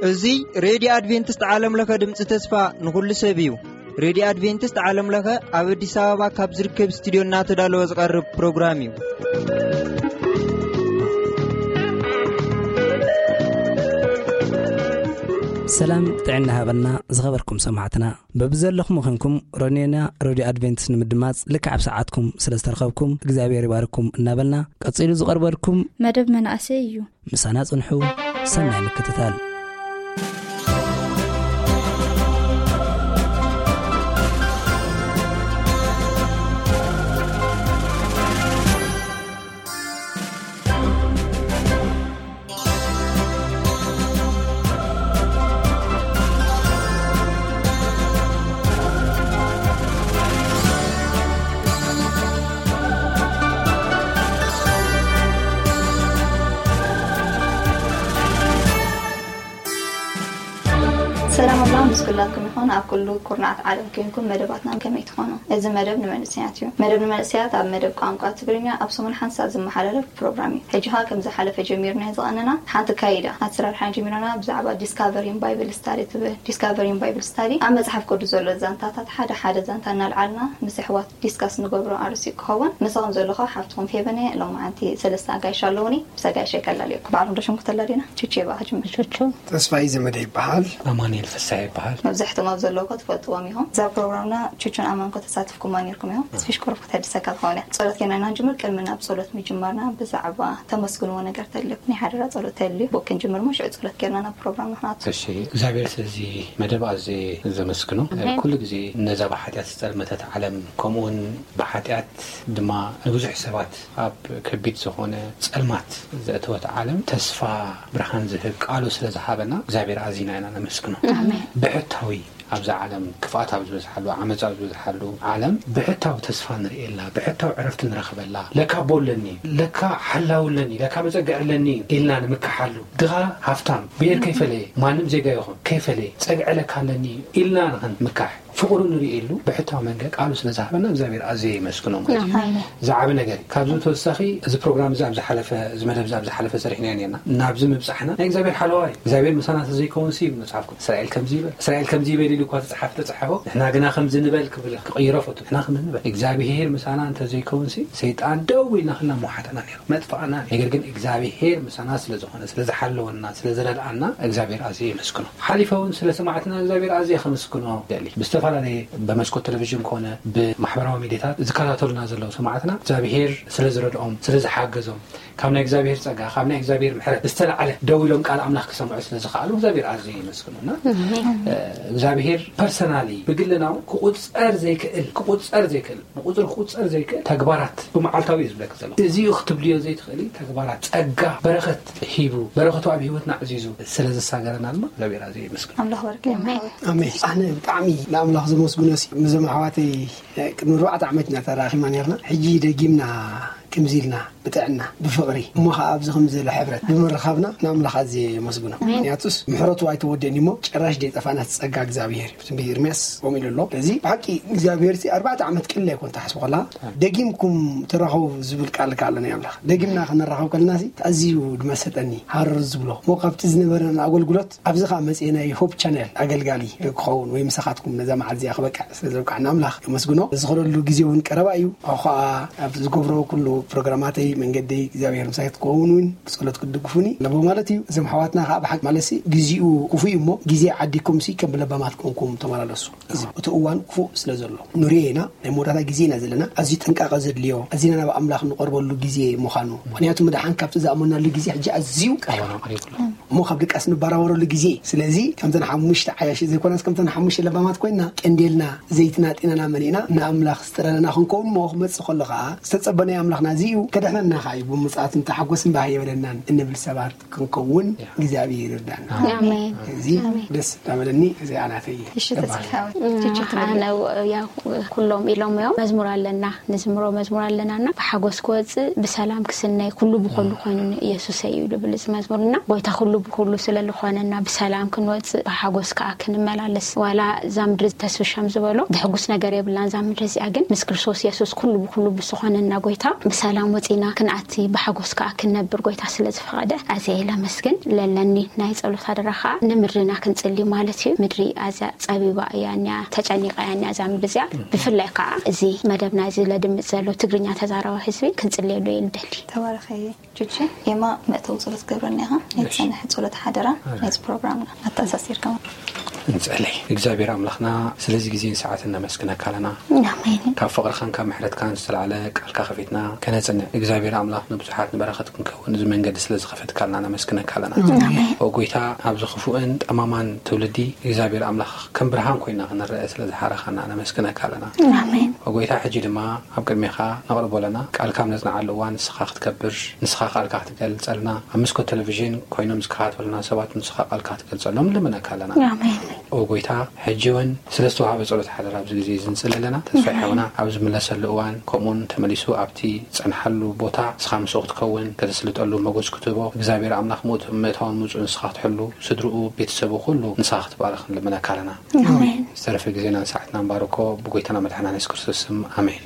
እዚ ሬድዮ ኣድቬንቲስት ዓለም ለኸ ድምፂ ተስፋ ንኹሉ ሰብ እዩ። ሬድዮ ኣድቬንቲስት ዓለም ለኸ ኣብ ኣዲስ ኣበባ ካብ ዝርከብ ስቱዲዮ እናተዳለወ ዝቐርብ ፕሮግራም እዩ። ሰላም ጥዕና ሃበና ዝኸበርኩም ሰማዕትና። በብዘለኹም ኾንኩም ሮኔና ሬድዮ ኣድቬንቲስት ንምድማፅ ልክዕ ኣብ ሰዓትኩም ስለ ዝተረኸብኩም እግዚኣብሔር ይባርኩም እናበልና ቀፂሉ ዝቐርበልኩም መደብ መናእሰይ እዩ። ምሳና ጽንሑ። ሰናይ ምክትታል። ሰላም ኣምላኽ ምስ ኩላትኩም ይኹን። ኣብ ኩሉ ኩርናዓት ዓለም ኮይንኩም መደባትና ከመይ ትኾኑ? እዚ መደብ ንመንእሰያት እዩ። መደብ ንመንእሰያት ኣብ መደብ ቋንቋ ትግርኛ ኣብ ሰሙን ሓንሳእ ዝመሓላለፍ ፕሮግራም እዩ። ሕጂ ኸኣ ከም ዝሓለፈ ጀሚርናዮ ዝቐነና ሓንቲ ካይዳ ኣሰራርሓ ጀሚርና ብዛዕባ ዲስካቨሪን ባይብል ስታዲ ትብል። ዲስካቨሪን ባይብል ስታዲ ኣብ መጽሓፍ ቅዱስ ዘሎ ዛንታታት ሓደ ሓደ ዛንታ እናልዓልና ምስ ኣሕዋት ዲስካስ ንገብሮ ኣርእስቲ ክኸውን። ምሳኹም ዘለኹ ሓፍትኹም ፌበን እየ። ሎማዓንቲ ሰለስተ ኣጋይሽ ኣለዉኒ። ምስ ኣጋይሸይ ከላልየኩም። ባዕሎም ዶ ሽምኩም ተላልዩና? ቹቹ ይበሃል። ጅምር። ቹቹ። ተስፋይ ዘመደ ይበሃል። ኣማኑኤል ፍስሐ ይበሃል። መብዛሕትኦም ኣብ ዘለውኮ ትፈልጥዎም ኢኹም። እዛ ፕሮግራምና ቹቹን ኣማንኮ ተሳትፍኩማ ነይርኩም ኢኹም። ስፊሽ ቁሩብ ከተድሰካ ትኸውን እያ። ጸሎት ጌርና ኢና ንጅምር። ቅድሚ ናብ ጸሎት ምጅማርና ብዛዕባ ተመስግንዎ ነገር ተልዩ። ናይ ሓደራ ጸሎት ተልዩ። ብኡ ክንጅምር እሞ ሽዑ ጸሎት ጌርና ናብ ፕሮግራምና ክንኣቱ። እሺ፣ እግዚኣብሔር ስለዚ መደብ ኣዝየ ዘመስግኖ። ኣሜን። ኩሉ ግዜ ነዛ ብሓጢኣት ዝጸልመተት ዓለም፣ ከምኡውን ብሓጢኣት ድማ ንብዙሕ ሰባት ኣብ ከቢድ ዝኾነ ጸልማት ዘእተወት ዓለም ተስፋ ብርሃን ዝህብ ቃሉ ስለ ዝሃበና እግዚኣብሔር ኣዚና ኢና ነመስግኖ። ኣሜን። ብሕታዊ ኣብዛ ዓለም ክፍኣት ኣብ ዝበዝሓሉ፣ ዓመጻ ኣብ ዝበዝሓሉ ዓለም ብሕታዊ ተስፋ ንርእየላ፣ ብሕታዊ ዕረፍቲ ንረኽበላ። ለካ ኣቦ ኣለኒ፣ ለካ ሓላው ኣለኒ፣ ለካ መጸግዒ ኣለኒ ኢልና ንምካሓሉ። ድኻ ሃፍታም፣ ብሄር ከይፈለየ፣ ማንም ዜጋ ይኹን ከይፈለየ፣ ጸግዒ ለካ ኣለኒ ኢልና ንኽንምካሕ፣ ፍቕሩ ንርእየሉ ብሕታዊ መንገድ ቃሉ ስለ ዝሃበና እግዚኣብሔር ኣዝየ የመስግኖ ማለት እዩ። ኣሜን። ዝዓቢ ነገር እዩ። ካብዚ ተወሳኺ እዚ ፕሮግራም እዚ ኣብ ዝሓለፈ፣ እዚ መደብ እዚ ኣብ ዝሓለፈ ሰሪሕናዮ ነርና። ናብዚ ምብጻሕና ናይ እግዚኣብሔር ሓለዋ እዩ። እግዚኣብሔር ምሳና ተዘይከውንሲ ይብል መጽሓፍ ቅዱስ። እስራኤል ከምዚ ይበል፣ እስራኤል ከምዚ ይበል ኢሉ እኳ ተጻሓፍ ተጻሓፎ፣ ንሕና ግና ከምዚ ንበል ክብል ክቕይሮ ፈቱ። ንሕና ከምዚ ንበል። እግዚኣብሔር ምሳና እንተዘይከውንሲ ሰይጣን ደው ኢልና ክልና መውሓጠና ነይሩ። መጥፋእና። ነገር ግን እግዚኣብሔር ምሳና ስለ ዝኾነ፣ ስለ ዝሓለወና፣ ስለ ዝረድኣና እግዚኣብሔር ኣዝየ የመስግኖ። ሓሊፈ እውን ስለ ሰማዕትና እግዚኣብሔር ኣዝየ ከመስግኖ ደሊ። ብዝተፈላለየ ብመስኮት ቴሌቪዥን ኮነ ብማሕበራዊ ሚዲያታት ዝከታተሉና ዘለዉ ሰማዕትና እግዚኣብሔር ስለ ዝረድኦም፣ ስለ ዝሓገዞም፣ ካብ ናይ እግዚኣብሔር ጸጋ፣ ካብ ናይ እግዚኣብሔር ምሕረት ዝተላዕለ ደው ኢሎም ቃል ኣምላኽ ክሰምዑ ስለ ዝኸኣሉ እግዚኣብሔር ኣዝየ የመስግኖ። እና፣ እ፣ እግዚኣብሔር ፐርሰናሊ ብግልና እውን ክቑጸር ዘይክእል፣ ክቑጸር ዘይክእል ብቁጽሪ ክቁጸር ዘይክእል ተግባራት ብመዓልታዊ እዩ ዝብለኪ ዘሎ። እዚ እዩ ክትብልዮ ዘይትኽእሊ ተግባራት፣ ጸጋ፣ በረኸት ሂቡ፣ በረኸቱ ኣብ ህይወትና ኣዕዚዙ ስለ ዘሳገረና ድማ እግዚኣብሔር ኣዝየ የመስግኖ። ኣምላኽ በረከ ኣሜን። ኣሜን። ኣነ ብጣዕሚ ንኣምላኽ ዘመስግኖ ሲ፣ ምስዞም ኣሕዋተይ ቅድሚ ኣርባዕተ ዓመት ኢና ተራኺብና ነርና። ሕጂ ደጊምና ከምዚ ኢልና ብጥዕና፣ ብፍቕሪ፣ እሞ ኸዓ ኣብዚ ከምዚ ዝበለ ሕብረት ብምርኻብና ንኣምላኽ ኣዝየ የመስግኖ። ኣሜን። ምኽንያቱስ ምሕረቱ ኣይተወደእን እሞ ጭራሽ ደይጠፋና ጸጋ እግዚኣብሔር እዩ። ትንቢት ኤርምያስ ከምኡ ኢሉ ኣሎ። ስለዚ ብሓቂ እግዚኣብሔር ሲ ኣርባዕተ ዓመት ቅልል ኣይኮን ትሓስቡ ከላ፣ ደጊምኩም ተራኸቡ ዝብል ቃል ከኣ ኣሎ ናይ ኣምላኽ። ደጊምና ክንራኸብ ከለና ሲ ኣዝዩ ድመሰጠኒ፣ ሃረር ዝብሎ። እሞ ካብቲ ዝነበረና ኣገልግሎት ኣብዚ ኸኣ መጺኤ ናይ ሆፕ ቻነል ኣገልጋሊ ክኸውን ወይ ምሳኻትኩም ነዛ መዓልቲ እዚኣ ክበቅዕ ስለ ዘብቅዓና ኣምላኽ የመስግኖ። ዝኸደሉ ግዜ እውን ቀረባ እዩ። ኣኹ ኸኣ ኣብ ዝገብሮ ኩሉ ፕሮግራማተይ መንገደይ እግዚኣብሔር ምሳይ ክትከውን እውን ብጸሎት ክትድግፉኒ ኣለዎ ማለት እዩ። እዞም ኣሕዋትና ኸኣ ብሓቂ ማለት ሲ ግዜኡ ክፉእ እዩ እሞ ግዜ ዓዲኩም ሲ ከም ለባማት ኮንኩም ተመላለሱ። እዚ እቲ እዋን ክፉእ ስለ ዘሎ ንሪኦ ኢና። ናይ መወዳእታ ግዜ ኢና ዘለና። ኣዝዩ ጥንቃቐ ዘድልዮ፣ ኣዚና ናብ ኣምላኽ ንቐርበሉ ግዜ ምዃኑ። ምኽንያቱ፣ ምድሓን ካብቲ ዝኣመናሉ ግዜ ሕጂ ኣዝዩ ቀሪቡ። እዋን ኣቕሪቡ ኣሎ። እሞ ካብ ድቃስ ንበራበረሉ ግዜ። ስለዚ፣ ከምተን ሓሙሽተ ዓያሺ ዘይኮናስ፣ ከምተን ሓሙሽተ ለባማት ኮይንና፣ ቀንዴልና፣ ዘይትና፣ ጤናና መሊእና፣ ንኣምላኽ ዝጥረነና ክንከውን፣ እሞ ክመጽእ ከሎ ኸኣ፣ ዝተጸበናዮ ኣምላኽና እዚ እዩ ከድሕነና ከኣ እዩ ብምጽኣት እንተሓጎስን ባህ የበለናን እንብል ሰባት ክንከውን እግዚኣብሔር ይርዳና። ኣሜን። እዚ ደስ እንዳበለኒ እዚኣ ናተይ እሺ እባል። ተስፋ ችችት ኣነ ያው ኩሎም ኢሎም እዮም መዝሙር ኣለና ንዝምሮ መዝሙር ኣለና ና ብሓጎስ ክወፅእ ብሰላም ክስነይ ኩሉ ብኩሉ ኮይኑ ኢየሱስ እዩ ይብል እዚ መዝሙር ና ጎይታ ኩሉ ብኩሉ ስለ ዝኾነና ብሰላም ክንወፅእ ብሓጎስ ከዓ ክንመላለስ ዋላ እዛ ምድሪ ተስፍሸም ዝበሎ ድሕጉስ ነገር የብላን እዛ ምድሪ እዚኣ ግን ምስ ክርስቶስ ኢየሱስ ኩሉ ብኩሉ ብዝኾነና ጎይታ ብሰላም ወፂና ክንኣቲ ብሓጎስ ከዓ ክንነብር ጎይታ ስለ ዝፈቐደ ኣዝየ ለመስግን ለለኒ ናይ ጸሎት ኣደራ ከዓ ንምድርና ክንፅሊ ማለት እዩ ምድሪ ኣዝያ ጸቢባ እያ እኒኣ ተጨኒቃ እያ እኒኣ እዛ ምድሪ እዚኣ ብፍላይ ከዓ እዚ መደብና እዚ ለድምፅ ዘሎ ትግርኛ ተዛራቢ ህዝቢ ክንፅልየሉ እየ ንደሊ ተባረኸ ቹቺ። የማ መእተዊ ጸሎት ገብረና ኢኻ ናይ ዝጸንሐ ጸሎት ሓደራ ናይዚ ፕሮግራምና ኣተኣሳሲርካ እንጸለይ እግዚኣብሔር ኣምላኽና ስለዚ ግዜን ሰዓት እናመስግነካ ኣለና ኣሜን ካብ ፍቕርኻን ካብ ምሕረትካን ዝተላዕለ ቃልካ ከፊትና ከነጽንዕ እግዚኣብሔር ኣምላኽ ንብዙሓት ንበረኸት ክንከውን እዚ መንገዲ ስለ ዝኸፈትካልና ነመስግነካ ኣለና ኦ ጎይታ ኣብዚ ክፉእን ጠማማን ትውልዲ እግዚኣብሔር ኣምላኽ ከም ብርሃን ኮይና ክንረአ ስለ ዝሓረኻና ነመስግነካ ኣለና ኣሜን ኦ ጎይታ ሕጂ ድማ ኣብ ቅድሜኻ ነቕርቦ ኣለና ቃልካ ኣብ ነጽንዓሉ እዋን ንስኻ ክትከብር ንስኻ ቃልካ ክትገልጸልና ኣብ መስኮት ቴሌቪዥን ኮይኖም ዝከታተሉና ሰባት ንስኻ ቃልካ ክትገልጸሎም ንልምነካ ኣለና ኣሜን ኦ ጎይታ ሕጂ እውን ስለ ዝተዋሃበ ጸሎት ሓደራ ኣብዚ ግዜ እዚ ንጽሊ ኣለና ተስፋ ይሓውና ኣብ ዝምለሰሉ እዋን ከምኡውን ተመሊሱ ኣብቲ ጸንሓሉ ቦታ ንስኻ ምስኡ ክትከውን ከተስልጠሉ መጎስ ክትህቦ እግዚኣብሔር ኣምላኽ ምእታውን ምፁ ንስኻ ክትሕሉ ስድርኡ ቤተሰቡ ኩሉ ንስኻ ክትባረኽ ንልምነካ ኣለና ዝተረፈ ግዜና ሰዓትና ንባርኮ ብጎይታና መድሓና የሱስ ክርስቶስ ስም ኣሜን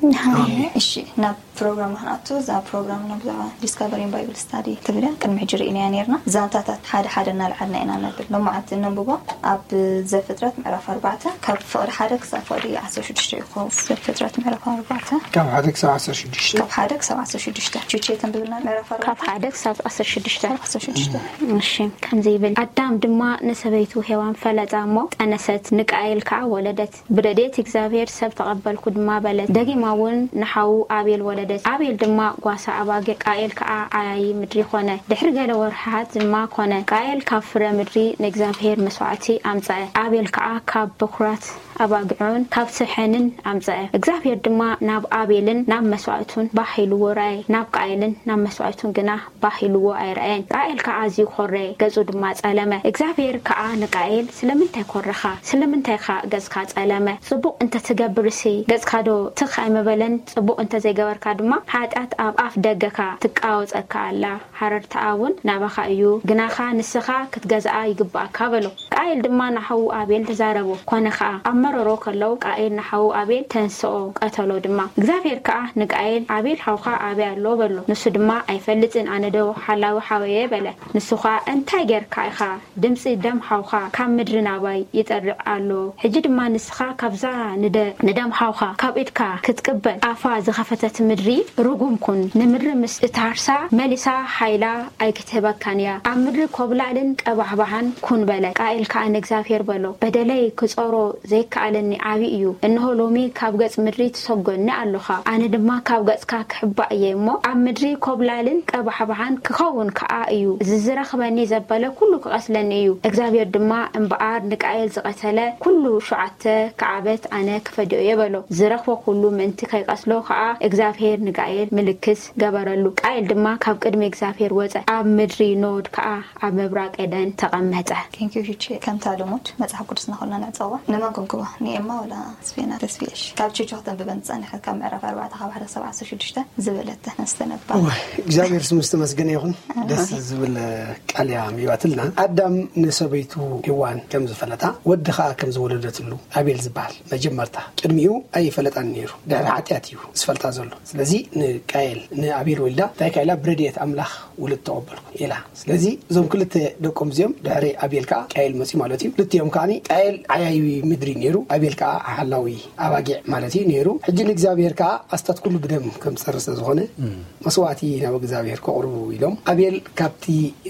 እሺ ናብ ፕሮግራም ክንኣቱ እዛ ፕሮግራምና ብዛዕባ ዲስካቨሪን ባይብል ስታዲ ትብል እያ ቅድሚ ሕጂ ርኢናያ ነርና ዛንታታት ሓደ ሓደ እናልዓልና ኢና ነብል ሎማዓንቲ እነንብቦ ኣብ ዘፍጥረት ምዕራፍ ኣርባዕተ ካብ ፍቕዲ ሓደ ክሳብ ፍቕዲ ዓሰርተ ሽዱሽተ እዩ ክኸውን ዘፍጥረት ምዕራፍ ኣርባዕተ ካብ ሓደ ክሳብ ዓሰርተ ሽዱሽተ ካብ ሓደ ክሳብ ዓሰርተ ሽዱሽተ ቹቼ ተንብብልና ምዕራፍ ኣርባዕተ ካብ ሓደ ክሳብ ዓሰርተ ሽዱሽተ ዓሰርተ ሽዱሽተ እሺ ከምዚ ይብል ኣዳም ድማ ንሰበይቱ ሄዋን ፈለጣ እሞ ጠነሰት ንቃኤል ከዓ ወለደት ብረድኤት እግዚኣብሔር ሰብ ተቐበልኩ ድማ በለት። ደጊማ እውን ንሓዉ ኣቤል ወለደት። ኣቤል ድማ ጓሳ ኣባጊዕ፣ ቃኤል ከኣ ዓያዪ ምድሪ ኾነ። ድሕሪ ገለ ወርሕታት ድማ ኾነ፣ ቃኤል ካብ ፍረ ምድሪ ንእግዚኣብሔር መስዋዕቲ ኣምጽአ፣ ኣቤል ከኣ ካብ በኩራት ኣባጊዑን ካብ ስብሐንን ኣምጽአ። እግዚኣብሔር ድማ ናብ ኣቤልን ናብ መስዋዕቱን ባህ ኢልዎ ረኣየ፣ ናብ ቃኤልን ናብ መስዋዕቱን ግና ባህ ኢልዎ ኣይረኣየን። ቃኤል ከኣ ኣዝዩ ኾረየ፣ ገጹ ድማ ጸለመ። እግዚኣብሔር ከኣ ንቃኤል፣ ስለምንታይ ኰረኻ? ስለምንታይኻ ገጽካ ጸለመ? ጽቡቕ እንተ ትገብርሲ፣ ገጽካዶ ትኽ ኣይምበለን? ጽቡቕ እንተ ዘይገበርካ ድማ፣ ሓጢኣት ኣብ ኣፍ ደገኻ ትቃወጸካ ኣላ። ሃረርታኣ እውን ናባኻ እዩ፣ ግናኻ ንስኻ ክትገዝኣ ይግብኣካ በሎ። ቃኤል ድማ ንሓዉ ኣቤል ተዛረቦ። ኰነ ኸኣ፣ ኣብ መረሮ ከለዉ ቃኤል ንሓዉ ኣቤል ተንስኦ፣ ቀተሎ ድማ። እግዚኣብሔር ከኣ ንቃኤል፣ ኣቤል ሓውኻ ኣበይ ኣሎ? በሎ። ንሱ ድማ፣ ኣይፈልጥን፣ ኣነዶ ሓላዊ ሓወየ? በለ። ንሱ ኸኣ፣ እንታይ ጌርካ ኢኻ? ድምጺ ደም ሓውኻ ካብ ምድሪ ናባይ ይጠርዕ ኣሎ። ሕጂ ድማ ንስኻ ካብዛ ንደ-፣ ንደም ሓውኻ ካብ ኢድካ ክትቅበል ኣፋ ዝኸፈተት ምድሪ ርጉም ኩን። ንምድሪ ምስ እትሃርሳ መሊሳ ሓይላ ኣይክትህበካን እያ። ኣብ ምድሪ ኮብላልን ቀባሕባሕን ኩን በለ። ቃኤል ከኣ ንእግዚኣብሔር በሎ፣ በደለይ ክጾሮ ዘይከኣለኒ ዓቢ እዩ። እንሆ፣ ሎሚ ካብ ገጽ ምድሪ ትሰጎኒ ኣሎኻ። ኣነ ድማ ካብ ገጽካ ክሕባእ እየ እሞ፣ ኣብ ምድሪ ኮብላልን ቀባሕባሕን ክኸውን ከኣ እዩ። እዚ ዝረኽበኒ ዘበለ ኩሉ ክቐስለኒ እዩ። እግዚኣብሔር ድማ እምበኣር ንቃኤል ዝቐተለ ኩሉ ሸውዓተ ከዓበት ኣነ ክፈድዮ እየ በሎ። ዝረኽቦ ኩሉ ምእንቲ ከይቀስሎ ከኣ እግዚኣብሔር ንቃኤል ምልክት ገበረሉ። ቃኤል ድማ ካብ ቅድሚ እግዚኣብሔር ወጸ፣ ኣብ ምድሪ ኖድ ከኣ ኣብ ምብራቕ ኤደን ተቐመጠ። ቴንኪዩ ቹቼ። ከምታ ልሙድ መጽሓፍ ቅዱስና ኩልና ንዕጸዋ። ንመን ክንክቦ? ንኤማ ወላ ስፌና ተስፊ? እሺ። ካብ ቹቹ ክተንብበን ዝጸንሐት ካብ ምዕራፍ ኣርባዕተ ካብ ሓደ ክሳብ ዓሰርተ ሽዱሽተ ዝበለተ ነስተነባ። እዋይ፣ እግዚኣብሔር ስሙ ዝተመስገነ ይኹን። ደስ ዝብል ቃል እያ ኣንቢባትልና። ኣዳም ንሰበይቱ ሄዋን ከም ዝፈለጣ፣ ወዲ ኸኣ ከም ዝወለደትሉ ኣቤል ዝበሃል መጀመርታ። ቅድሚኡ ኣይፈለጣን ነይሩ። ድሕሪ ሓጢኣት እዩ ዝፈልጣ ዘሎ። ስለዚ ንቃየል፣ ንኣቤል ወልዳ እንታይ ኢላ? ብረድኤት ኣምላኽ ውሉድ ተቐበልኩ ኢላ። ስለዚ እዞም ክልተ ደቆም እዚኦም ድሕሪ ኣቤል ከኣ ቃየል መጺኡ ማለት እዩ። ክልቲኦም ከኣ ቃየል ዓያዪ ምድሪ ነይሩ፣ ኣቤል ከኣ ሓላዊ ኣባጊዕ ማለት እዩ ነይሩ። ሕጂ ንእግዚኣብሔር ከኣ ኣስታት ኩሉ ብደም ከም ዝጸሪ ስለ ዝኾነ መስዋዕቲ ናብ እግዚኣብሔር ከቕርቡ ኢሎም ኣቤል ካብቲ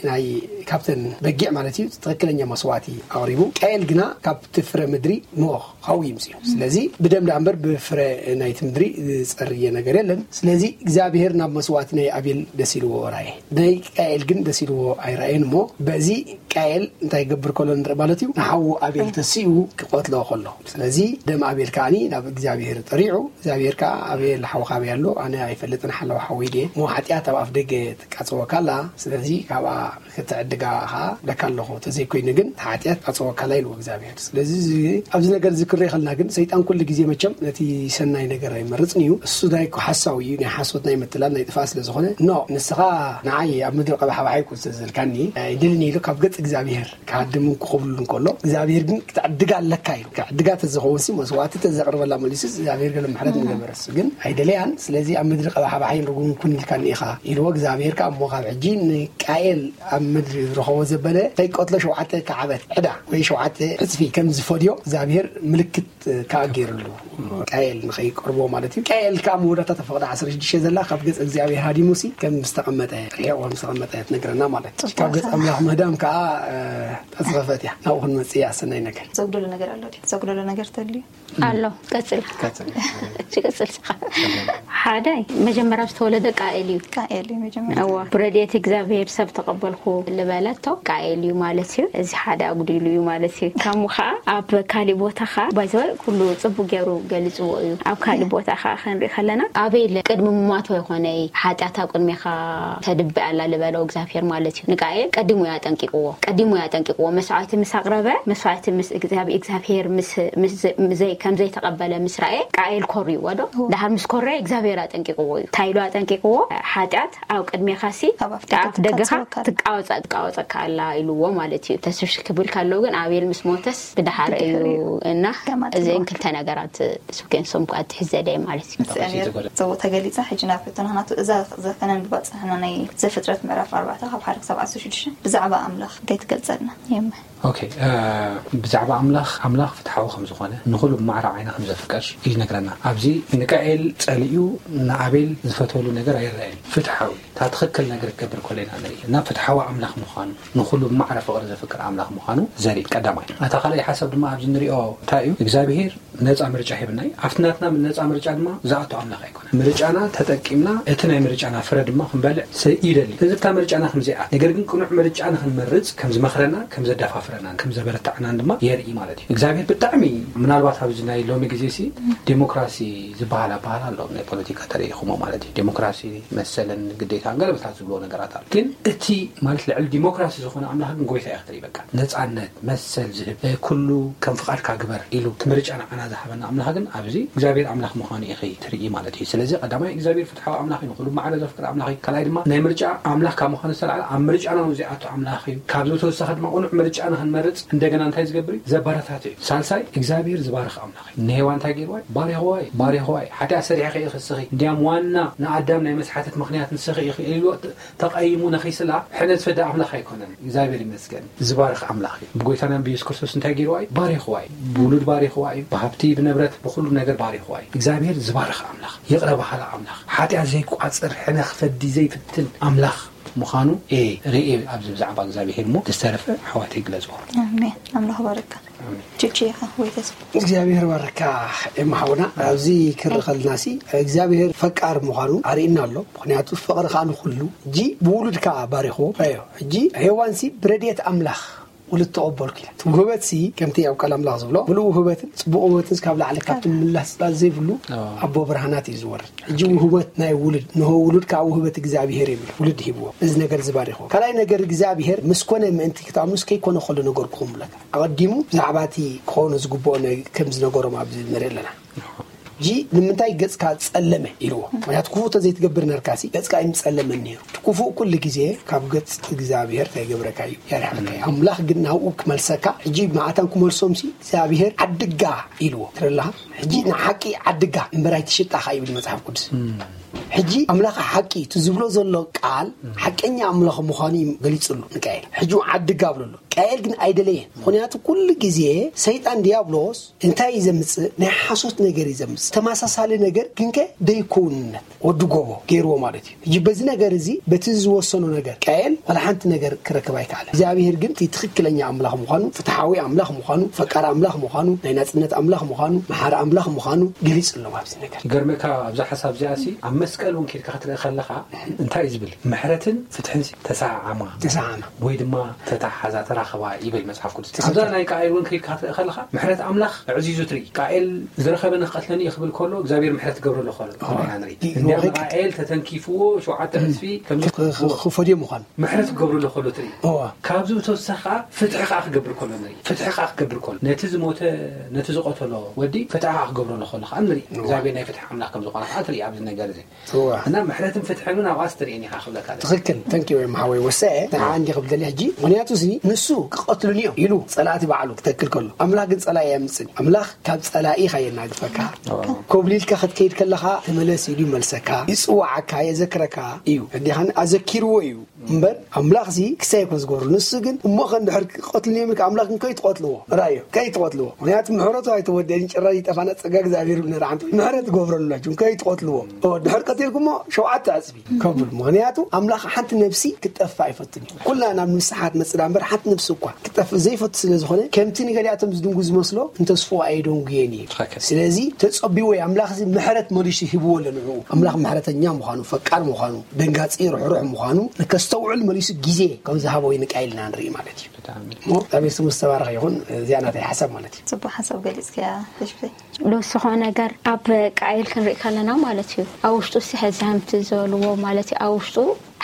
ናይ ካብተን በጊዕ ማለት እዩ ትኽክለኛ መስዋዕቲ ኣቕሪቡ። ቃየል ግና ካብቲ ፍረ ምድሪ ኖህ ሓዊ ይምፅኡ። ስለዚ ብደም ደኣ እምበር ብፍረ ናይቲ ምድሪ ዝፀርየ ነገር የለን። ስለዚ እግዚኣብሔር ናብ መስዋዕቲ ናይ ኣቤል ደስ ኢልዎ ራየ፣ ናይ ቃኤል ግን ደስ ኢልዎ ኣይረኣየን። እሞ በዚ ቃኤል እንታይ ይገብር ከሎ ንርኢ ማለት እዩ። ንሓዉ ኣቤል ተሲኡ ክቐትሎ ከሎ፣ ስለዚ ደም ኣቤል ከዓኒ ናብ እግዚኣብሔር ጠሪዑ፣ እግዚኣብሔር ከዓ ኣቤል ሓውካ ኣበይ ኣሎ? ኣነ ኣይፈልጥን፣ ሓለዋ ሓወይ ድየ? እሞ ሓጢኣት ኣብ ኣፍ ደገ ትቃፀወካ ኣላ፣ ስለዚ ካብኣ ክትዕድጋ ከዓ ለካ ኣለኹ፣ ተዘይኮይኑ ግን እቲ ሓጢኣት ትቃፀወካ ኣላ ኢልዎ እግዚኣብሔር። ስለዚ እዚ ኣብዚ ነገር እዚ ክርኢ ከለና ግን ሰይጣን ኩሉ ግዜ መቸም ነቲ ሰናይ ነገር ኣይመርፅን እዩ። እሱ ናይ ሓሳዊ እዩ፣ ናይ ሓሶት ናይ ምትላል ናይ ጥፋእ ስለ ዝኾነ፣ ኖ ንስኻ ንዓይ ኣብ ምድሪ ቀባሓባሓይ ኩን ስለ ዘልካኒ ኣይደልን ኢሉ ካብ ገጽ እግዚኣብሔር ክሃድምን ክኸብሉን ከሎ እግዚኣብሔር ግን ክትዕድጋ ኣለካ እዩ። ክዕድጋ ተዝኸውን ሲ መስዋዕቲ ተዘቕርበላ መሊሱ እግዚኣብሔር ገለ ምሕረት ምገበረ። እሱ ግን ኣይደለያን። ስለዚ ኣብ ምድሪ ቀባሓባሓይን ርጉምን ኩን ኢልካኒ ኢኻ ኢልዎ እግዚኣብሔር ከዓ እሞ ካብ ሕጂ ንቃኤል ኣብ ምድሪ ዝረኸቦ ዘበለ ከይቀትሎ ሸውዓተ ከዓበት ዕዳ ወይ ሸውዓተ ዕፅፊ ከም ዝፈድዮ እግዚኣብሔር ምልክት ከዓ ገይርሉ ቃኤል ንኸይቀርቦ ማለት እዩ። ቃኤል ከዓ መወዳእታ ተፈቕዳ ዓሰርተ ሽዱሽተ ዘላ ካብ ገጽ እግዚኣብሔር ሃዲሙሲ ከም ዝተቐመጠ ርሒቑ ከም ዝተቐመጠ ትነግረና ማለት እዩ። ካብ ገጽ ኣምላኽ ምህዳም ከዓ ተጽፈፈት እያ። ናብኡ ክንመጽእ እያ። ሰናይ ነገር ዘጉደሎ ነገር ኣሎ ድዩ? ዘጉደሎ ነገር ተልዩ ኣሎ። ቀጽል። ቀጽል። ቀጽል። ሓደ መጀመርያ ዝተወለደ ቃኤል እዩ። ቃኤል እዩ መጀመርያ። እዋ ብረድኤት እግዚኣብሔር ሰብ ተቐበልኩ ልበለቶ ቃኤል እዩ ማለት እዩ። እዚ ሓደ ኣጉዲሉ እዩ ማለት እዩ። ካሙ ከዓ ኣብ ካሊእ ቦታ ከዓ ባይዘወ ኩሉ ጽቡቅ ገይሩ ገሊጽዎ እዩ። ኣብ ካሊእ ቦታ ከዓ ክንርኢ ከለና ኣቤል ቅድሚ ምሟቶ ይኾነይ ሓጢኣታ ቅድሜኻ ተድብእ ኣላ ልበለው እግዚኣብሔር ማለት እዩ። ንቃኤል ቀዲሙ እዩ ኣጠንቂቅዎ። ቀዲሙ እዩ ኣጠንቂቅዎ። መስዋዕቲ ምስ ኣቕረበ፣ መስዋዕቲ ምስ እግዚኣብ-፣ እግዚኣብሔር ምስ፣ ምስ ዘ-፣ ዘይ-፣ ከም ዘይተቐበለ ምስ ረኣየ ቃኤል ኮርይዎ ዶ? ደሓር ምስ ኮረየ እግዚኣብሔር ኣጠንቂቅዎ እዩ። እንታይ ኢሉ ኣጠንቂቅዎ? ሓጢኣት ኣብ ቅድሜኻሲ ኣብ ኣፍ ደገኻ ኣፍ ደገኻ ትቃወጸካ። ትቃወጸ-፣ ትቃወጸካ ኣላ ኢልዎ ማለት እዩ። ተስፍሽ ክብል ከሎ ግን ኣቤል ምስ ሞተስ ብድሓር እዩ። ብድሕሪኡ። እና ደም ኣጥቢቑ። እዚአን ክልተ ነገራት ስብኬንሶም ኣትሒዘ ደየ ማለት እዩ። እግዚኣብሔር ጽቡቕ ተገሊጻ። ሕጂ ናብ ሕቶና ናቱ እዛ ዘፈነን ብባጽሕና ናይ ዘፍጥረት ምዕራፍ ኣርባዕተ ካብ ሓደ ክሳብ ዓሰርተ ሽዱሽተ ብዛዕባ ኣምላኽ እንታይ ትገልጸልና? የመ ኦኬ፣ እ፣ ብዛዕባ ኣምላኽ፣ ኣምላኽ ፍትሓዊ ከም ዝኾነ፣ ንኹሉ ብማዕረ ዓይኒ ከም ዘፍቅር ይነግረና። ኣብዚ ንቃኤል ጸሊኡ ንኣቤል ዝፈተወሉ ነገር ኣይረኣየን። ፍትሓዊ፣ እታ ትኽክል ነገር ክገብር ከሎ ኢና ንርኢ። እና ፍትሓዊ ኣምላኽ ምዃኑ፣ ንኹሉ ብማዕረ ፍቕሪ ዘፍቅር ኣምላኽ ምዃኑ ዘርኢ ቀዳማይ። እታ ካልኣይ ሓሳብ ድማ ኣብዚ ንሪኦ እንታይ እዩ? እግዚኣብሄር ነጻ ምርጫ ሂብና እዩ። ኣብቲ ናትና ነጻ ምርጫ ድማ ዝኣቱ ኣምላኽ ኣይኮነን። ምርጫና ተጠቂምና እቲ ናይ ምርጫና ፍረ ድማ ክንበልዕ ሰ-፣ ይደሊ። እዚ እታ ምርጫና ከም ዘይኣት፣ ነገር ግን ቅኑዕ ምርጫ ንኽንመርጽ ከም ዝመኽረና፣ ከም ዘደፋፍረና፣ ከም ዘበረታዕናን ድማ የርኢ ማለት እዩ። እግዚኣብሔር ብጣዕሚ ምናልባት ኣብዚ ናይ ሎሚ ግዜ ሲ ዴሞክራሲ ዝበሃል ኣበሃል ኣሎ። ናይ ፖለቲካ ተሪኢኹሞ ማለት እዩ። ዴሞክራሲ መሰልን ግዴታን ገለመታት ዝብልዎ ነገራት ኣሎ። ግን እቲ ማለት ልዕሊ ዲሞክራሲ ዝኾነ ኣምላኽ ግን ጎይታ እዩ ክትርኢ በቃ። ነጻነት፣ መሰል ዝህብ፣ እ፣ ኩሉ ከም ፍቓድካ ግበር ኢሉ እቲ ምርጫ ንዓና ዝሃበና ኣምላኽ ግን ኣብዚ እግዚኣብሔር ኣምላኽ ምዃኑ ኢኺ ትርኢ ማለት እዩ። ስለዚ ቀዳማይ እግዚኣብሔር ፍትሓዊ ኣምላኽ እዩ፣ ንኹሉ ማዕረ ዘፍቅር ኣምላኽ እዩ። ካልኣይ ድማ ናይ ምርጫ ኣምላኽ ካብ ምዃኑ ዝተላዕለ ኣብ ምርጫና እውን ዘይኣቱ ኣምላኽ እዩ። ካብዚ ብተወሳኺ ድማ ቅኑዕ ምርጫ ንኽንመርጽ እንደገና እንታይ ዝገብር እዩ? ዘበረታትዕ እዩ። ሳልሳይ እግዚኣብሔር ዝባርኽ ኣምላኽ እዩ። ንሄዋን እንታይ ገይርዋ እዩ? ባሪኽዋ እዩ፣ ባሪኽዋ እዩ። ሓጢኣት ሰሪሕኺ ኢኺ እስኺ። እንዲያም ዋና ንኣዳም ናይ መስሓተት ምኽንያት ንስኺ ኢኺ ኢልዎ ተቐይሙ ነኺስላ ሕነ ዝፈደ ኣምላኽ ኣይኮነን። እግዚኣብሔር ይመስገን። ዝባርኽ ኣምላኽ እዩ። ብጎይታና ብየሱስ ክርስቶስ እንታይ ገይርዋ እዩ? ባሪኽዋ እዩ። ብውሉድ ባሪኽዋ እዩ። ብሃብቲ፣ ብንብረት፣ ብኹሉ ነገር ባሪኽዋ እዩ። እግዚኣብሔር ዝባርኽ ኣምላኽ፣ ይቕረ በሃሊ ኣምላኽ፣ ሓጢኣት ዘይቋጽር፣ ሕነ ክፈዲ ዘይፍትን ኣምላኽ ምዃኑ እየ ርእየ ኣብዚ ብዛዕባ እግዚኣብሔር እሞ ዝተረፈ ኣሕዋተይ ግለጽዎ። ኣሜን። ኣምላኽ ባርካ። ኣሜን። ቹቹ ኢኻ ወይ ተስፋ? እግዚኣብሔር ባርካ ኤማ ሓውና። ኣብዚ ክርኢ ከለና ሲ እግዚኣብሔር ፈቃር ምዃኑ ኣርእና ኣሎ። ምኽንያቱ ፍቕሪ ከዓ ንኹሉ። ሕጂ ብውሉድ ከዓ ባሪኽዎ። ኣዮ፣ ሕጂ ሄዋን ሲ ብረድኤት ኣምላኽ ውሉድ ተቐበልኩ ኢላ። እቲ ውህበት ሲ ከምቲ ኣብ ቃል ኣምላኽ ዝብሎ ምሉእ ውህበትን ጽቡቕ ውህበትን ካብ ለዓሊ ካብ ትምላስ ጽላል ዘይብሉ ኣዎ። ኣቦ ብርሃናት እዩ ዝወርድ። ሕጂ ውህበት ናይ ውሉድ፣ ንሆ ውሉድ ከዓ ውህበት እግዚኣብሔር እዩ። ውሉድ ሂብዎ። እዚ ነገር ዝባሪኽዎ። ካልኣይ ነገር እግዚኣብሔር ምስ ኮነ ምእንቲ ክትኣምኑስ ከይኮነ ከሎ ነገርኩኹም ብለካ። ኣቐዲሙ ብዛዕባ እቲ ክኾኑ ዝግብኦ ነ-፣ ከም ዝነገሮም ኣብዚ ንርኢ ኣለና። ሕጂ ንምንታይ ገጽካ ጸለመ ኢልዎ? ምኽንያቱ ክፉእ ተዘይትገብር ነርካሲ ገጽካ ኣይምጸለመን ነይሩ። እቲ ክፉእ ኩሉ ግዜ ካብ ገጽ እግዚኣብሔር እንታይ ይገብረካ እዩ? ያርሕቐካ እዩ። ኣምላኽ ግን ናብኡ ክመልሰካ፣ ሕጂ መዓታን ክመልሶም ሲ እግዚኣብሔር ዓድጋ ኢልዎ። ትረላኻ? ሕጂ ንሓቂ ዓድጋ እምበር ኣይትሽጣኻ ይብል መጽሓፍ ቅዱስ። ሕጂ ኣምላኽ ሓቂ እቲ ዝብሎ ዘሎ ቃል ሓቀኛ ኣምላኽ ምዃኑ እዩ ገሊጽሉ ንቃኤል። ሕጂ ዓድጋ ብለሎ። ቃኤል ግን ኣይደለየን። ምክንያቱ ኩሉ ግዜ ሰይጣን ዲያብሎስ እንታይ እዩ ዘምፅእ? ናይ ሓሶት ነገር እዩ ዘምፅእ። ተመሳሳሊ ነገር ግንከ ደይከውንነት ወዲ ጎቦ ገይርዎ ማለት እዩ። ሕጂ በዚ ነገር እዚ፣ በቲ ዝወሰኖ ነገር ቃኤል ዋላ ሓንቲ ነገር ክረክብ ኣይከኣለ። እግዚኣብሔር ግን እቲ ትኽክለኛ ኣምላኽ ምዃኑ፣ ፍትሓዊ ኣምላኽ ምዃኑ፣ ፈቃር ኣምላኽ ምዃኑ፣ ናይ ናጽነት ኣምላኽ ምዃኑ፣ መሓሪ ኣምላኽ ምዃኑ ገሊጹ ኣሎ ኣብዚ ነገር። ይገርመካ፣ ኣብዛ ሓሳብ እዚኣ ሲ ኣብ መስቀል እውን ኬድካ ክትርኢ ከለኻ እንታይ እዩ ዝብል? ምሕረትን ፍትሕን ሲ ተሰዓዓማ ተሰዓዓማ። ወይ ድማ ተተሓሓዛ፣ ተራኸባ ይብል መጽሓፍ ቅዱስ። ትኽክል። ኣብዛ ናይ ቃኤል እውን ከይድካ ክትርኢ ከለኻ ምሕረት ኣምላኽ ኣዕዚዙ ትርኢ። ቃኤል ዝረኸበ ንክቐትለኒ እዩ ክብል ከሎ እግዚኣብሔር ምሕረት ገብረሉ ከሎ ኦ፣ ኢና ንርኢ። ይ-፣ እንዲያም ይ-፣ ቃኤል ተተንኪፍዎ ሸውዓተ ዕጽፊ ከም ክ-፣ ክ-፣ ክፈድዮ ምዃኑ። ምሕረት ክገብረሉ ከሎ ትርኢ። እዋ። ካብዚ ብተወሳኺ ከዓ ፍትሒ ከዓ ክገብር ከሎ ንርኢ። ፍትሒ ከዓ ክገብር ከሎ ነቲ ዝሞተ፣ ነቲ ዝቐተሎ ወዲ ፍትሒ ከዓ ክገብረሉ ከሎ ከዓ ንርኢ። እዋ። እግዚኣብሔር ናይ ፍትሒ ኣምላኽ ከም ዝኾነ ከዓ ትርኢ ኣብዚ ነገር እዚ። እዋ። እና ምሕረትን ፍትሕን እውን ኣብኣ ስትርእየን ኢኻ ክብለካ ደስ። ትኽክል። ተንኪ ወይ መሓወይ ወሰ ንዓ እንዲ ክብል ደሊ ሕጂ። ምክንያቱ እዚ ንሱ ክቐትሉኒ እዮም ኢሉ ጸላእቲ ባዕሉ ክተክል ከሎ፣ ኣምላኽ ግን ጸላኢ ኣየምጽን። ኣምላኽ ካብ ጸላኢ ኢኻ የናግፈካ። እዋ። ኮብሊልካ ክትከይድ ከለኻ ተመለስ ኢሉ ይመልሰካ፣ ይጽዋዓካ፣ የዘክረካ እዩ። እንዲኻን ኣዘኪርዎ እዩ። እምበር ኣምላኽ ሲ ክሳይ እኮ ዝገብሩ። ንሱ ግን እሞ ከ እንድሕር ክቐትሉኒ እዮም ኢልካ ኣምላኽ ግን ከይትቐትልዎ። ራእዮ፣ ከይትቐትልዎ። ምክንያቱ ምሕረቱ ኣይተወደአን፣ ጭራሽ ይጠፋና ጸጋ እግዚኣብሔር ንርዓም። ምሕረት ትገብረሉ ኣላችሁ፣ ከይትቐትልዎ። ኦ፣ ድሕር ቀቲልኩሞ ሸውዓተ ዕጽፊ ከብል። ምክንያቱ ኣምላኽ ሓንቲ ነፍሲ ክትጠፍእ ኣይፈቱን እዩ። ኩልና ናብ ንስሓ ትመጽእ እምበር ሓንቲ ነፍሲ እኳ ክትጠፍእ ዘይፈቱ ስለ ዝኾነ፣ ከምቲ ንገሊኣቶም ዝድንጉ ዝመስሎ፣ ንተስፍኡ ኣየደንጉየን እዩ። ትኽክል። ስለዚ ተጸቢዎ እዩ። ኣምላኽ እዚ ምሕረት መሊሱ ሂብዎ ኣሎ ንዕኡ። ኣምላኽ ምሕረተኛ ምዃኑ፣ ፈቃር ምዃኑ፣ ደንጋጺ ርሕሩሕ ምዃኑ ንከስተውዕል መሊሱ ግዜ ከም ዝሃቦ እዩ ንቃይል ኢና ንርኢ ማለት እዩ። ብጣዕሚ። እሞ እግዚኣብሔር ስሙ ዝተባረኸ ይኹን። እዚኣ ናተይ ሓሳብ ማለት እዩ። ጽቡቅ ሓሳብ ገሊጽክያ ተሽፍተይ። ልውስኾ ነገር ኣብ ቃኤል ክንርኢ ከለና ማለት እዩ፣ ኣብ ውሽጡ ሲ ሕዛምቲ ዝበልዎ ማለት እዩ፣ ኣብ ውሽጡ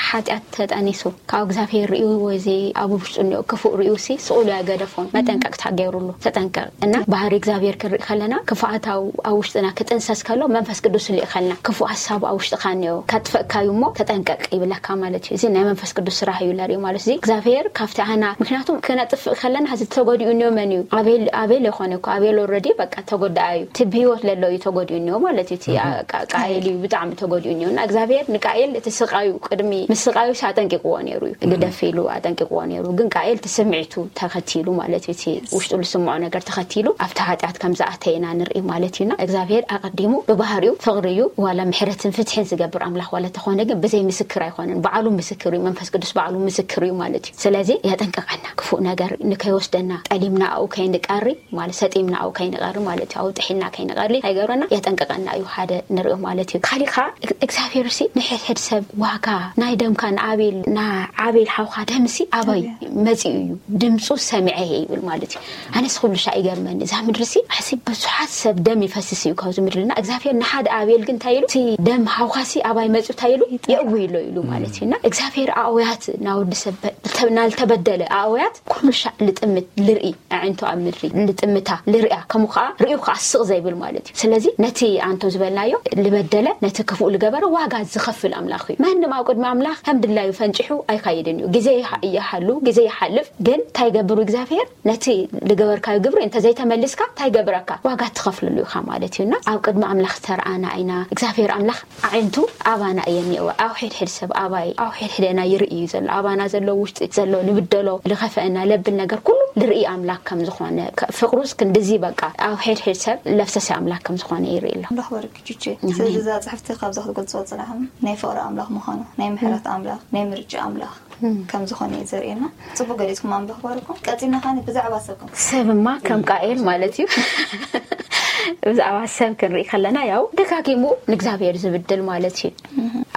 ሓጢኣት ተጠኒሱ ካብ እግዚኣብሔር ርእዩ ወይ እዚ ኣብ ውሽጡ እኒኦ ክፉእ ርእዩ ሲ ስቑሉ ኣይገደፎን። መጠንቀቅታ ገይሩሉ፣ ተጠንቀቅ እና ባህሪ እግዚኣብሔር ክንርኢ ከለና ክፉኣት ኣብ፣ ኣብ ውሽጥና ክጥንሰስ ከሎ መንፈስ ቅዱስ ልእኸልና፣ ክፉእ ሓሳብ ኣብ ውሽጥኻ እኒኦ ከጥፈእካዩ እሞ ተጠንቀቅ ይብለካ ማለት እዩ። እዚ ናይ መንፈስ ቅዱስ ስራሕ እዩ ለርኢ ማለት እዚ እግዚኣብሔር ካብቲ ኣና ምክንያቱም ክነጥፍእ ከለና እዚ ተጎዲኡ እኒኦ መን እዩ? ኣቤል፣ ኣቤል ይኾነ እኮ ኣቤል ኦልሬዲ በቃ ተጎዳኣ እዩ። እቲ ብህይወት ለሎ እዩ ተጎዲኡ እኒኦ ማለት እዩ። እቲ ቃ-፣ ቃኤል እዩ ብጣዕሚ ተጎዲኡ እኒኦ። እና እግዚኣብሔር ንቃኤል እቲ ስቃዩ ቅድሚ ምስቃዩ ኣጠንቂቅዎ ነይሩ እዩ። ግደፍ ኢሉ ኣጠንቂቅዎ ነይሩ። ግን ቃኤል እቲ ስምዒቱ ተኸቲሉ ማለት እዩ። እቲ ውሽጡ ዝስምዖ ነገር ተኸቲሉ ኣብቲ ሓጢኣት ከም ዝኣተየ ኢና ንርኢ ማለት እዩ። እና እግዚኣብሔር ኣቐዲሙ ብባህሪኡ ፍቕሪ እዩ። ዋላ ምሕረትን ፍትሕን ዝገብር ኣምላኽ ዋላ ተኾነ ግን ብዘይ ምስክር ኣይኾነን። ባዕሉ ምስክር እዩ። መንፈስ ቅዱስ ባዕሉ ምስክር እዩ ማለት እዩ። ስለዚ የጠንቅቐና። ክፉእ ነገር ንከይወስደና፣ ጠሊምና ኣብኡ ከይንቀሪ ማለት፣ ሰጢምና ኣብኡ ከይንቐሪ ማለት እዩ። ኣብኡ ጥሒልና ከይንቐሪ ኣይገብረና፣ የጠንቅቐና እዩ። ሓደ ንሪኦ ማለት እዩ። ካሊእ ከዓ እግ-፣ እግዚኣብሔር ሲ ንሕድሕድ ሰብ ዋጋ ናይ ደምካ ንኣቤል፣ ንኣቤል ሓውካ ደምሲ ኣበይ መጺኡ እዩ? ድምፁ ሰሚዐ እየ ይብል ማለት እዩ። ኣነስ ኩሉ ሻዕ ይገርመኒ። እዛ ምድሪ ሲ ኣሲ ብዙሓት ሰብ ደም ይፈስስ እዩ ካብዚ ምድሪ። እና እግዚኣብሔር ንሓደ ኣቤል ግን እንታይ ኢሉ? እቲ ደም ሓውካ ሲ ኣባይ መጺኡ እንታይ ኢሉ? የእዊ ኢሎ ኢሉ ማለት እዩ። እና እግዚኣብሔር ኣእውያት ናወዲ ሰብ በ-፣ ናልተበደለ ኣእውያት ኩሉ ሻዕ ልጥምት ልርኢ ኣዒንቱ ኣብ ምድሪ ልጥምታ ልርያ ከምኡ ከዓ ርእዩ ከዓ ስቕ ዘይብል ማለት እዩ። ስለዚ ነቲ ኣንቶ ዝበልናዮ ልበደለ ነቲ ክፉእ ልገበረ ዋጋ ዝኸፍል ኣምላኽ እዩ። ማንም ኣብ ቅድሚ ኣምላኽ ከም ድላዩ ፈንጭሑ ኣይካይድን እዩ። ግዜ ይሃ-፣ ይሃሉ፣ ግዜ ይሓልፍ፣ ግን እንታይ ይገብሩ እግዚኣብሔር? ነቲ ልገበርካዮ ግብሪ እንተዘይተመሊስካ እንታይ ይገብረካ? ዋጋ ትኸፍልሉ ኢኻ ማለት እዩ። እና ኣብ ቅድሚ ኣምላኽ ዝተረኣና ኢና። እግዚኣብሔር ኣምላኽ ኣዒንቱ ኣባና እየ እኒኦ። ኣብ ሕድሕድ ሰብ ኣባይ፣ ኣብ ሕድሕደና ይርኢ እዩ ዘሎ። ኣባና ዘሎ፣ ውሽጢ ዘሎ፣ ልብደሎ፣ ልኸፈአና ለብል ነገር ኩሉ ልርኢ ኣምላኽ ከም ዝኾነ፣ ከ-፣ ፍቕሩስ ክንድዚ በቃ ኣብ ሕድሕድ ሰብ ለፍሰሰ ኣምላኽ ከም ዝኾነ ይርኢ ኣሎ። ኣምላኽ ባርክ ጁቼ። ኣሜን። ስለዚ እዛ ጽሕፍቲ ካብዛ ክትገልጾ ጽናሕም ናይ ፍቕሪ ኣምላኽ ምዃኑ፣ ናይ ምሕረት ኣምላኽ፣ ናይ ምርጫ ኣምላኽ ከም ዝኾነ እዩ ዘርእየና። ጽቡቅ ገሊጽኩም ኣምላኽ ባርኩም። ቀጺልና ኻኒ ብዛዕባ ሰብ ከም ሰብማ ከም ቃኤል ማለት እዩ። ብዛዕባ ሰብ ክንርኢ ከለና ያው ደጋጊሙ ንእግዚኣብሔር ዝብድል ማለት እዩ።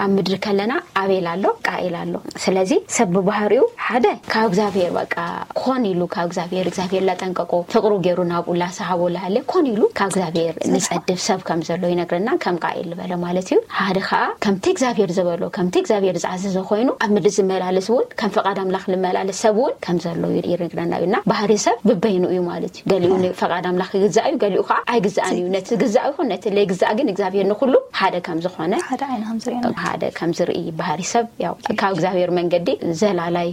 ኣብ ምድሪ ከለና ኣቤል ኣሎ፣ ቃኤል ኣሎ። ስለዚ ሰብ ብባህሪኡ ሓደ ካብ እግዚኣብሔር በቃ ኮን ኢሉ ካብ እግዚኣብሔር፣ እግዚኣብሔር ላጠንቀቆ ፍቕሩ ገይሩ ናብኡ ላሰሃቦ ላሃለ ኮን ኢሉ ካብ እግዚኣብሔር ንጸድፍ ሰብ ከም ዘሎ ይነግረና፣ ከም ቃኤል ዝበለ ማለት እዩ። ሓደ ኸኣ ከምቲ እግዚኣብሔር ዝበሎ፣ ከምቲ እግዚኣብሔር ዝኣዘዞ ኮይኑ ኣብ ምድሪ ዝመላለስ እውን ከም ፈቓድ ኣምላኽ ዝመላለስ ሰብ እውን ከም ዘሎ ይነግረና እዩ። እና ባህሪ ሰብ ብበይኑ እዩ ማለት እዩ። ገሊኡ ንፈቓድ ኣምላኽ ይግዛእ እዩ፣ ገሊኡ ኸዓ ኣይግዛእን እዩ። ነቲ ዝግዛእ ይኹን ነቲ ለይግዛእ ግን እግዚኣብሔር ንኹሉ ሓደ ከም ዝኾነ ሓደ ዓይኒ ከም ዝርእየና። ሓደ ከም ዝርኢ ባህሪ ሰብ ያው ካብ እግዚኣብሔር መንገዲ ዘላላይ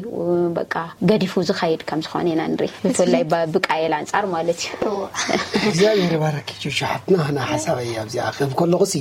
በቃ ገዲፉ ዝኸይድ ከም ዝኾነ ኢና ንርኢ። ብፍላይ ብ- ብቃየል ኣንጻር ማለት እዩ። እግዚኣብሔር ይባረክ ቹቹ ሓትና። ና ሓሳበይ ኣብዚኣ ክህብ ከለኹ ሲ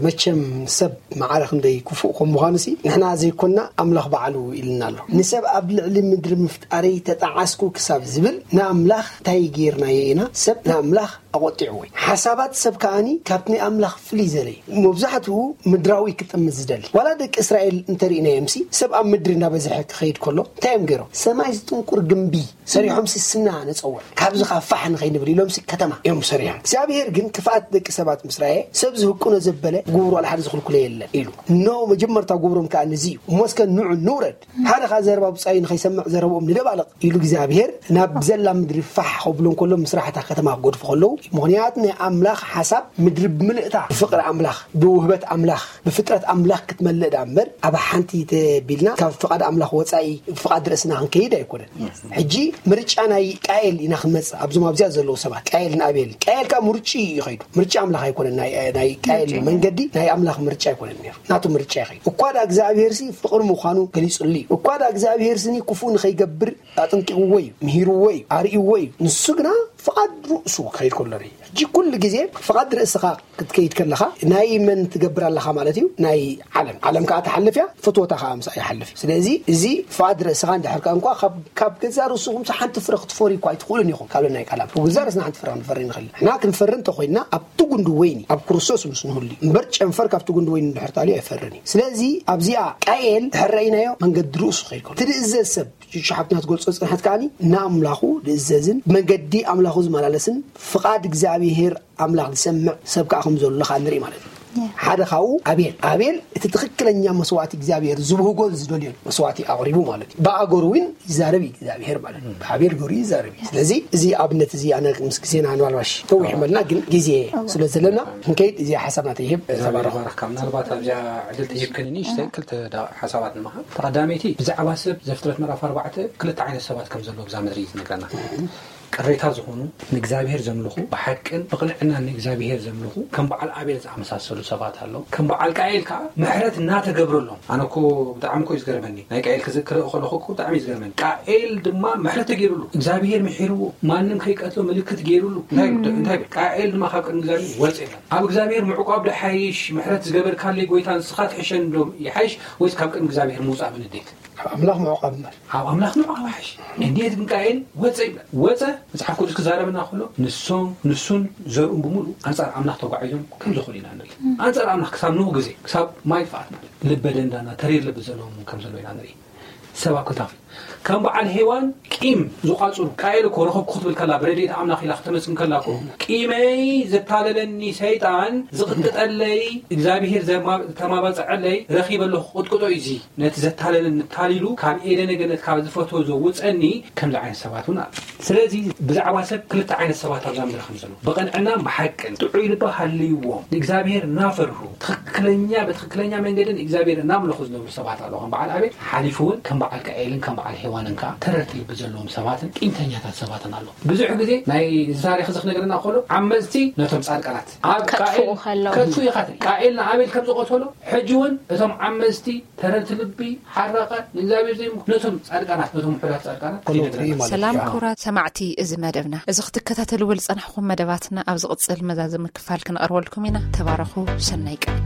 መቸም ሰብ ማዕረ ክንደይ ክፉእ ከም ምዃኑ ሲ ንሕና ዘይኮንና ኣምላኽ ባዕሉ ኢልና ኣሎ። ንሰብ ኣብ ልዕሊ ምድሪ ምፍጣረይ ተጣዓስኩ ክሳብ ዝብል ንኣምላኽ እንታይ ጌርናዮ ኢና? ሰብ ንኣምላኽ ኣቆጢዕዎ እዩ። ሓሳባት ሰብ ከኣኒ ካብቲ ናይ ኣምላኽ ፍልይ ዘለ እዩ። መብዛሕትኡ ምድራዊ ክጥምት ዝደሊ። ዋላ ደቂ እስራኤል እንተርኢናዮም ሲ ሰብ ኣብ ምድሪ እናበዝሐ ክኸይድ ከሎ እንታይ እዮም ገይሮም? ሰማይ ዝጥንቁር ግንቢ ሰሪሖም ሲ ስና ንጸውዕ ካብዚ ኻ ፋሕ ንኸይንብል ኢሎም ሲ ከተማ እዮም ሰሪሖም። እግዚኣብሔር ግን ክፍኣት ደቂ ሰባት ምስ ረኣየ ሰብ ዝህቅኖ ዘበለ ግብሩ ዋላ ሓደ ዝኽልኩሎ የለን ኢሉ። ኖ መጀመርታ ግብሮም ከኣ ንዚ እዩ። እሞ እስከ ንዑ ንውረድ ሓደ ኻ ዘረባ ብጻዩ ንኸይሰምዕ ዘረብኦም ንደባልቕ ኢሉ እግዚኣብሔር ናብ ዘላ ምድሪ ፋሕ ከብሎ እንከሎ ምስራሕታ ከተማ ክገድፉ ከለዉ ምኽንያት ናይ ኣምላኽ ሓሳብ ምድሪ ብምልእታ ብፍቕሪ ኣምላኽ ብውህበት ኣምላኽ ብፍጥረት ኣምላኽ ክትመልእ ዳ እምበር ኣብ ሓንቲ ተቢልና ካብ ፍቓድ ኣምላኽ ወጻኢ ፍቓድ ርእስና ክንከይድ ኣይኮነን። ሕጂ ምርጫ ናይ ቃኤል ኢና ክንመጽእ ኣብዞም ኣብዚኣ ዘለዉ ሰባት ቃኤልን ኣቤልን ቃኤል ካብ ምርጭ እዩ ይኸይዱ ምርጫ ኣምላኽ ኣይኮነን። ናይ ቃኤል መንገዲ ናይ ኣምላኽ ምርጫ ኣይኮነን ነይሩ ናቱ ምርጫ ይኸይዱ እኳ ዳ እግዚኣብሔር ሲ ፍቕሪ ምዃኑ ገሊጹሉ እዩ እኳ ዳ እግዚኣብሔር ስኒ ክፉእ ንኸይገብር ኣጥንቂቕዎ እዩ ምሂርዎ እዩ ኣርእይዎ እዩ። ንሱ ግና ፍቓድ ርእሱ ክኸይድ ከሎ ርኢ ሕጂ ኩሉ ግዜ ፍቓድ ርእስኻ ክትከይድ ከለኻ ናይ መን ትገብር ኣለኻ ማለት እዩ? ናይ ዓለም። ዓለም ከዓ ትሓልፍ እያ፣ ፍትወታ ከዓ ምሳኣ ይሓልፍ እዩ። ስለዚ እዚ ፍቓድ ርእስኻ እንድሕር ከኣ እንኳ ካብ ገዛ ርእስኹም ሓንቲ ፍረ ክትፈርዩ እኳ ኣይትኽእሉን ኢኹም ካብ ናይ ቃል ኣምላኽ። ብገዛ ርእስና ሓንቲ ፍረ ክንፈሪ ንኽእል ኢና። ንሕና ክንፈሪ እንተኾይንና ኣብቲ ጉንዲ ወይኒ ኣብ ክርስቶስ ምስ ንህሉ እዩ እምበር ጨንፈር ካብቲ ጉንዲ ወይኒ እንድሕር ተኣልዩ ኣይፈርን እዩ። ስለዚ ኣብዚኣ ቃየል ድሕር ረኢናዮ መንገዲ ርእሱ ከይድ ከሎ ትድእዘዝ ሰብ ሽሓብትና ትገልጾ ጽንሐት ከኣኒ ንኣምላኹ ዝእዘዝን ብመንገዲ ኣምላኹ ዝመላለስን ፍቓድ እግዚኣብሔር ኣምላኽ ዝሰምዕ ሰብ ከዓ ከም ዘሎ ከዓ ንርኢ ማለት እዩ። ሓደ ካብኡ ኣቤል ኣቤል እቲ ትኽክለኛ መስዋዕቲ እግዚኣብሔር ዝብህጎን ዝደልዮን መስዋዕቲ ኣቕሪቡ ማለት እዩ። ብኣገሩ እውን ይዛረብ እዩ እግዚኣብሔር ማለት እዩ። ብኣቤል ገሩ ይዛረብ እዩ። ስለዚ እዚ ኣብነት እዚ ኣነ ምስ ግዜና ንባልባሽ ተዊሕ መልና ግን ግዜ ስለ ዘለና ክንከይድ እዚ ሓሳብና ተይህብ ተባረኹ። ባረካ ምናልባት ኣብዚኣ ዕድል ተሂብክኒ ንእሽተይ ክልተ ዳ- ሓሳባት ንምሃብ። ተቐዳመይቲ ብዛዕባ ሰብ ዘፍጥረት ምዕራፍ ኣርባዕተ ክልተ ዓይነት ሰባት ከም ዘለዎ ብዛ ምድሪ እዩ ዝነግረና። ቅሬታ ዝኾኑ ንእግዚኣብሔር ዘምልኹ ብሓቅን ብቕንዕናን ንእግዚኣብሔር ዘምልኹ ከም በዓል ኣቤል ዝኣመሳሰሉ ሰባት ኣለዉ። ከም በዓል ቃኤል ከዓ ምሕረት እናተገብረሎም ኣነ እኮ ብጣዕሚ እኮ እዩ ዝገርመኒ። ናይ ቃኤል ክዝክር ከለኹ እኮ ብጣዕሚ እዩ ዝገርመኒ። ቃኤል ድማ ምሕረት ተገይሩሉ እግዚኣብሔር ምሒርዎ ማንም ከይቀትሎ ምልክት ገይሩሉ እንታይ ይብል? እንታይ ይብል? ቃኤል ድማ ካብ ቅድሚ እግዚኣብሔር ወፀ ይብል። ኣብ እግዚኣብሔር ምዕቋብ ዶ ሓይሽ ምሕረት ዝገበርካለይ ጎይታ ንስኻ ትሕሸኒ ዶ ይሓይሽ ወይስ ካብ ቅድሚ እግዚኣብሔር ምውፃእ ብንዴት? ኣብ ኣምላኽ ምዕቋብ እምበር። ኣብ ኣምላኽ ምዕቋብ ይሓይሽ። እንዴት ግን ቃኤል ወፀ ይብል? ወፀ መጽሓፍ ቅዱስ ክዛረበና ከሎ ንሶም ንሱን ዘርኡን ብምሉእ ኣንጻር ኣምላኽ ተጓዒዞም ከም ዝኾኑ ኢና ንርኢ። ኣንጻር ኣምላኽ ክሳብ ንኡ ግዜ ክሳብ ማይ ጥፍኣት ማለት ልበ ደንዳና ተሪር ልቢ ዘለዎም እውን ከም ዘለዉ ኢና ንርኢ። ሰብ ኣብ ክልተ ክፍል ከም በዓል ሄዋን ቂም ዝቋጽሩ ቃኤል እኮ ረኸብኩ ክትብል ከላ ብረድኤት ኣምላኽ ኢላ ክትመስግን ከላ እኮ ቂመይ ዘታለለኒ ሰይጣን ዝቕጥጠለይ እግዚኣብሔር ዘማ- ዝተማባጽዐለይ ረኺበ ኣለኹ ቅጥቅጦ እዩ እዚ ነቲ ዘታለለኒ ታሊሉ ካብ ኤደነ ገነት ካብ ዝፈትዎ ዘውፀኒ ከምዚ ዓይነት ሰባት እውን ኣሎ። ስለዚ ብዛዕባ ሰብ ክልተ ዓይነት ሰባት ኣብዛ ምድሪ ከም ዘሎ ብቕንዕናን ብሓቅን ጥዑይ ልቢ ሃልይዎም ንእግዚኣብሔር እናፈርሁ ትኽክለኛ ብትኽክለኛ መንገዲ ንእግዚኣብሔር እናምለኹ ዝነብሩ ሰባት ኣለዉ። ከም በዓል ኣቤል ሓሊፉ እውን ከም በዓል ቃኤልን ከም በዓል ሄዋንን ከዓ ተረርቲ ልቢ ዘለዎም ሰባትን ቂምተኛታት ሰባትን ኣለዉ። ብዙሕ ግዜ ናይ እዚ ታሪክ እዚ ክነግረና ከሎ ዓመፅቲ ነቶም ፃድቃናት ኣብ ከጥፍኡ ቃኤል ከለዉ። ከጥፍኡ ኢኻ ትርኢ። ቃኤል ንኣቤል ከም ዝቐተሎ ሕጂ እውን እቶም ዓመፅቲ ተረርቲ ልቢ ሓራቃት ንእግዚኣብሔር ዘይምልኩ ነቶም ጻድቃናት ነቶም ውሑዳት ጻድቃናት ከመይ ይነግረና። ትርኢ ማለት ሰላም እዩ። ክቡራት ሰማዕቲ እዚ መደብና። እዚ ክትከታተልዎ ዝጸናሕኩም መደባትና ኣብ ዝቕጽል መዛዘሚ ክፋል ክንቐርበልኩም ኢና። ተባረኹ። ሰናይ ቀን።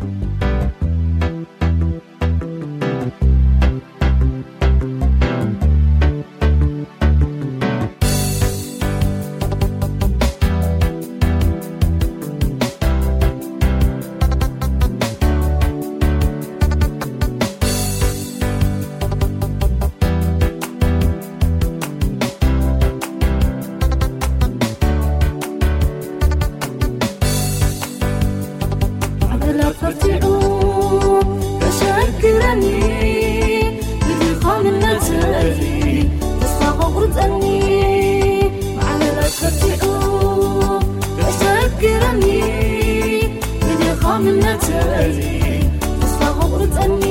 ዓመላት በርቲዑ ከሸግረኒ፣ ብድኻምነተይ ተስፋ ከቑርጸኒ። ዓመላት በርቲዑ ከሸግረኒ፣ ብድኻምነተይ ተስፋ ከቑርጸኒ።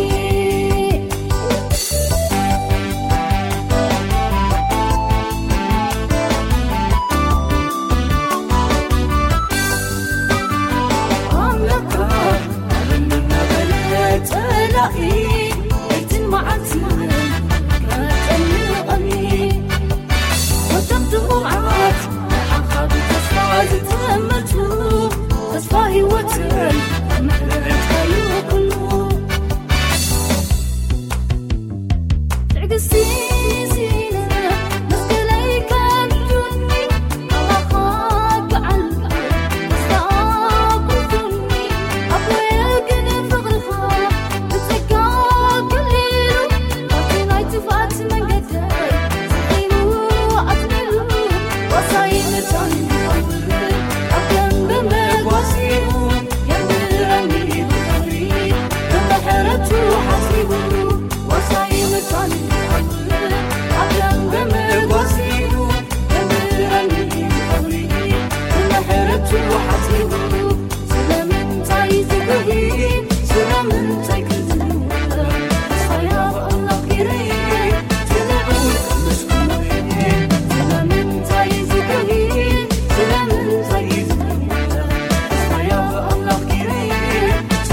ኣምላኽ ኣበይ እናበለ ለይትን መዓልትን ከጨንቐኒ። ወደብ ድኹዓት ንዓኻ ብተስፋ ዝተመቱ፣ ተስፋ ህይወትን ምሕረትካዩ ኩሉ። ትዕግስቲ ሲነ መስቀለይ ከብዱኒ፣ ኣባኻ ክዓልብ ተስፋ ኣቑርጡኒ። ኣቦየ ግን ፍቕርኻ ብጸጋ ከሊሉ፣ ካብቲ ናይ ጥፍኣት መንገደይ ስሒቡ ኣጽኒዑ። ዋሳይ መታን ይኸውን ኣብ ደንበ መጓሲኡ፣ የምህረኒ ብኽብሪ ብምሕረቱ ሓሲቡ። ዋሳይ መታን ይኸውን ኣብ ደንበ መጓሲኡ፣ የምህረኒ ብኽብሪ ብምሕረቱ ሓሲቡ። ስለምንታይ ዝጉሂ? ስለምንታይ ክዝንወ? ተስፋያ ብኣምላኽ ገይረ እየ፣ ስለምንታይ ዝጉሂ? ስለምንታይ ዝጉሂ? ተስፋያ ብኣምላኽ ገይረ እየ፣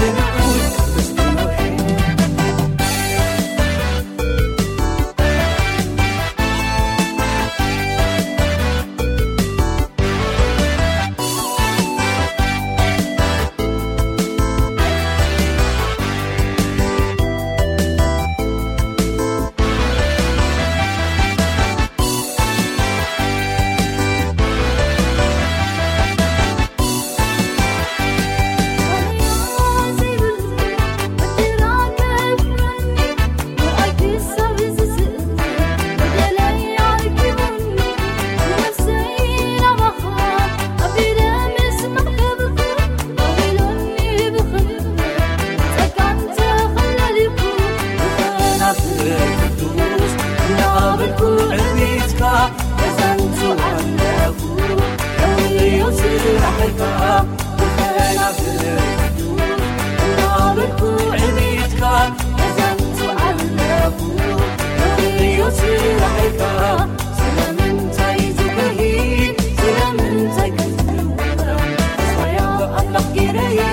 ስለምንታይ ክዝንወ?